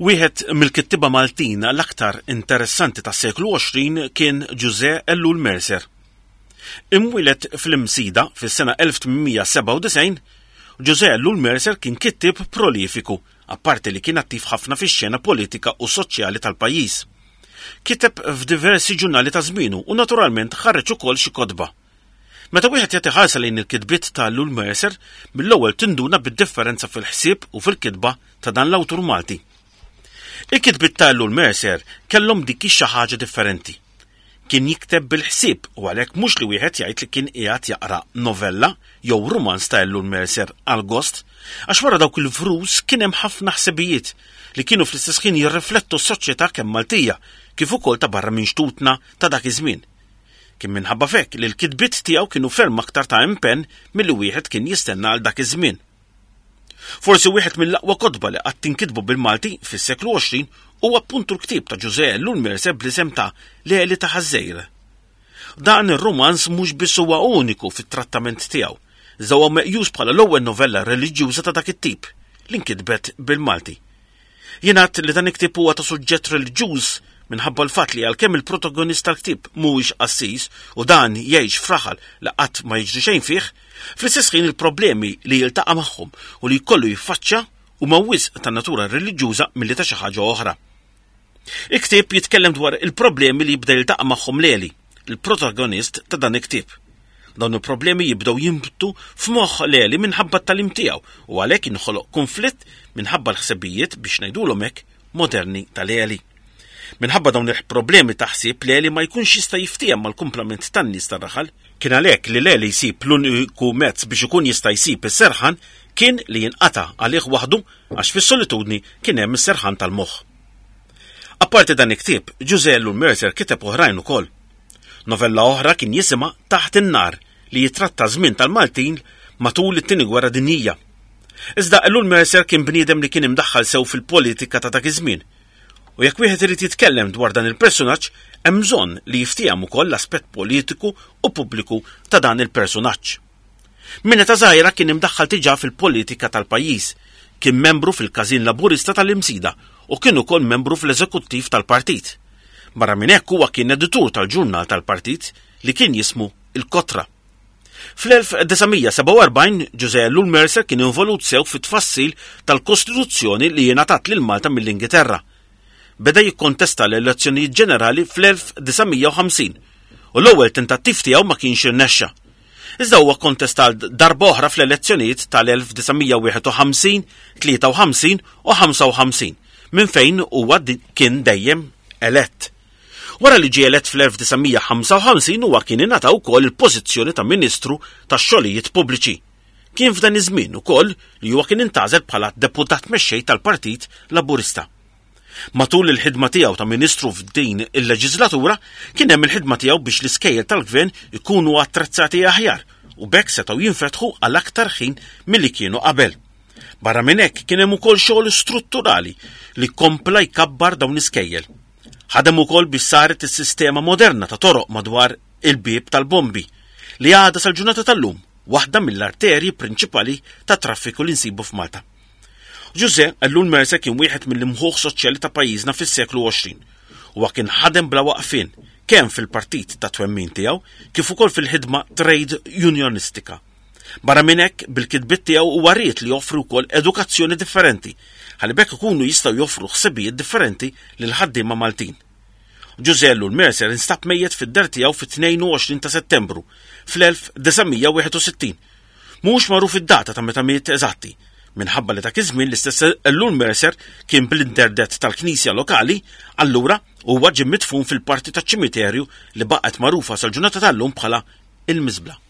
Wieħed mill-kittieba Maltin l-aktar interessanti tas-seklu 20 kien Ġużè Ellul Mercer. Imwieled fl-Imsida fis-sena 1897, Ġużè Ellul Mercer kien kittieb prolifiku, apparti li kien attiv ħafna fix-xena politika u soċjali tal-pajjiż. Kiteb f'diversi ġurnali ta' żmienu u naturalment ħareġ ukoll xi kotba. Meta wieħed jagħti ħarsa lejn il-kitbiet ta' Ellul Mercer, mill-ewwel tinduna bid-differenza fil-ħsieb u fil-kitba ta' dan l-awtur Malti. Il-kitbiet ta' Ellul Mercer kellhom dik ix-xi ħaġa differenti. Kien jikteb bil-ħsieb u għalhekk mhux li wieħed jgħid li kien qiegħed jaqra novella jew rumanz ta' Ellul Mercer għall-gost, għax wara dawk il-vrus kien hemm ħafna ħsibijiet li kienu fl-istess ħin jirriflettu s-soċjetà kemm Maltija kif ukoll ta' barra minn xtutna ta' dak iż-żmien. Kien minħabba f'hekk li l-kitbiet tiegħu kienu ferm aktar ta' impenn milli wieħed kien jistenna għal dak iż-żmien. Forsi wieħed mill-aqwa kotba li qatt inkitbu bil-Malti fis-seklu 20 huwa appuntu l-ktieb ta' Ġużè Ellul Mercer bl-isem ta' Leli ta' Ħaż-Żgħir. Dan ir-rumanz mhux biss huwa uniku fit-trattament tiegħu, iżda huwa meqjus bħala l-ewwel novella reliġjuża ta' dak it-tip li nkitbet bil-Malti. Jingħad li dan il-ktieb huwa ta' suġġett reliġjuż minħabba l-fatt li għalkemm il-protagonist tal-ktieb mhuwiex qassis u dan jgħix f'raħal li qatt ma jiġri xejn fih, fl-istess ħin il-problemi li jiltaqa' magħhom u li jkollu jiffaċċja huma wisq ta' natura reliġjuża milli ta' xi ħaġa oħra. Il-ktieb jitkellem dwar il-problemi li jibda jiltaqa' magħhom Leli, il-protagonist ta' dan il-ktieb. Dawn il-problemi jibdew jinbtu f'moħħ Leli minħabba t-tagħlim tiegħu u għalhekk inħoloq kunflitt minħabba l-ħsibijiet biex ngħidulhom hekk moderni ta' Leli. Minħabba dawn il-problemi ta' ħsieb Leli ma jkunx jista' jiftiehem mal-kumplament tan-nies tar-raħal. Kien għalhekk li Leli jsib l-uniku mezz biex ikun jista' jsib is-serħan kien li jinqata' għalih waħdu għax fis-solitudni kien hemm is-serħan tal-moħħ. Apparti dan il-ktieb, Ġużè Ellul Mercer kiteb oħrajn ukoll. Novella oħra kien jisimha Taħt in-Nar li jitratta żmien tal-Maltin matul it-Tieni Gwerra Dinjija. Iżda Ellul Mercer kien bniedem li kien imdaħħal sew fil-politika ta' dak iż-żmien. U jekk wieħed irid jitkellem dwar dan il-persunaġġ, hemm bżonn li jiftiehem ukoll l-aspett politiku u pubbliku ta' dan il-persunaġġ. Minn età żgħira kien imdaħħal diġà fil-politika tal-pajjiż. Kien membru fil-Każin Laburista tal-Imsida u kien ukoll membru fl-eżekuttiv tal-partit. Barra minn hekk huwa kien editur tal-ġurnal tal-partit li kien jismu Il-Kotra. Fl-1947 Ġużè Ellul Mercer kien involut sew fit-tfassil tal-Kostituzzjoni li ingħatat lil Malta mill-Ingilterra. Beda jikkontesta l-elezzjonijiet ġenerali fl-1950 u l-ewwel tentattiv tiegħu ma kienx irnexxa. Iżda huwa kkontesta għal darba oħra fl-elezzjonijiet tal-1951, 53 u 55, minn fejn huwa kien dejjem elett. Wara li ġie elett fl-1955 huwa kien ingħata wkoll il-pożizzjoni ta' Ministru tax-Xogħlijiet Pubbliċi. Kien f'dan iż-żmien ukoll li huwa kien intgħażel bħala Deputat Mexxej tal-Partit Laburista. Matul il-ħidma tiegħu ta' Ministru f'din il-leġiżlatura kien hemm il-ħidma tiegħu biex l-iskejjel tal-Gvern ikunu attrezzati aħjar u b'hekk setgħu jinfetħu għal aktar ħin milli kienu qabel. Barra minn hekk kien hemm ukoll xogħol strutturali li kompla jkabbar dawn l-iskejjel. Ħadem ukoll biex saret is-sistema moderna ta' toroq madwar il-bieb tal-bombi li għadha sal-ġurnata tal-lum waħda mill-arterji prinċipali tat-traffiku li nsibu f'Malta. Ġużè Ellul Mercer kien wieħed mill-imħuħ soċjali ta' pajjiżna fis-seklu 20. Huwa kien ħadem bla waqfien kemm fil-partit ta' twemmin tiegħu kif ukoll fil-ħidma trade unionistika. Barra minn hekk, bil-kitbiet tiegħu huwa ried li joffri wkoll edukazzjoni differenti ħalli b'hekk ikunu jistgħu joffru ħsibijiet differenti lill-ħaddiema Maltin. Ġużè Ellul Mercer instab mejjet fid-dar tiegħu fit-22 ta' Settembru fl-1961 Mhux magħruf id-data ta' meta miet eżatti, minħabba li dak iż-żmien l-istess Ellul Mercer kien bl-interdett tal-knisja lokali, allura huwa ġie midfun fil-parti taċ-ċimiterju li baqgħet magħrufa sal-ġurnata tal-lum bħala il-Miżbla.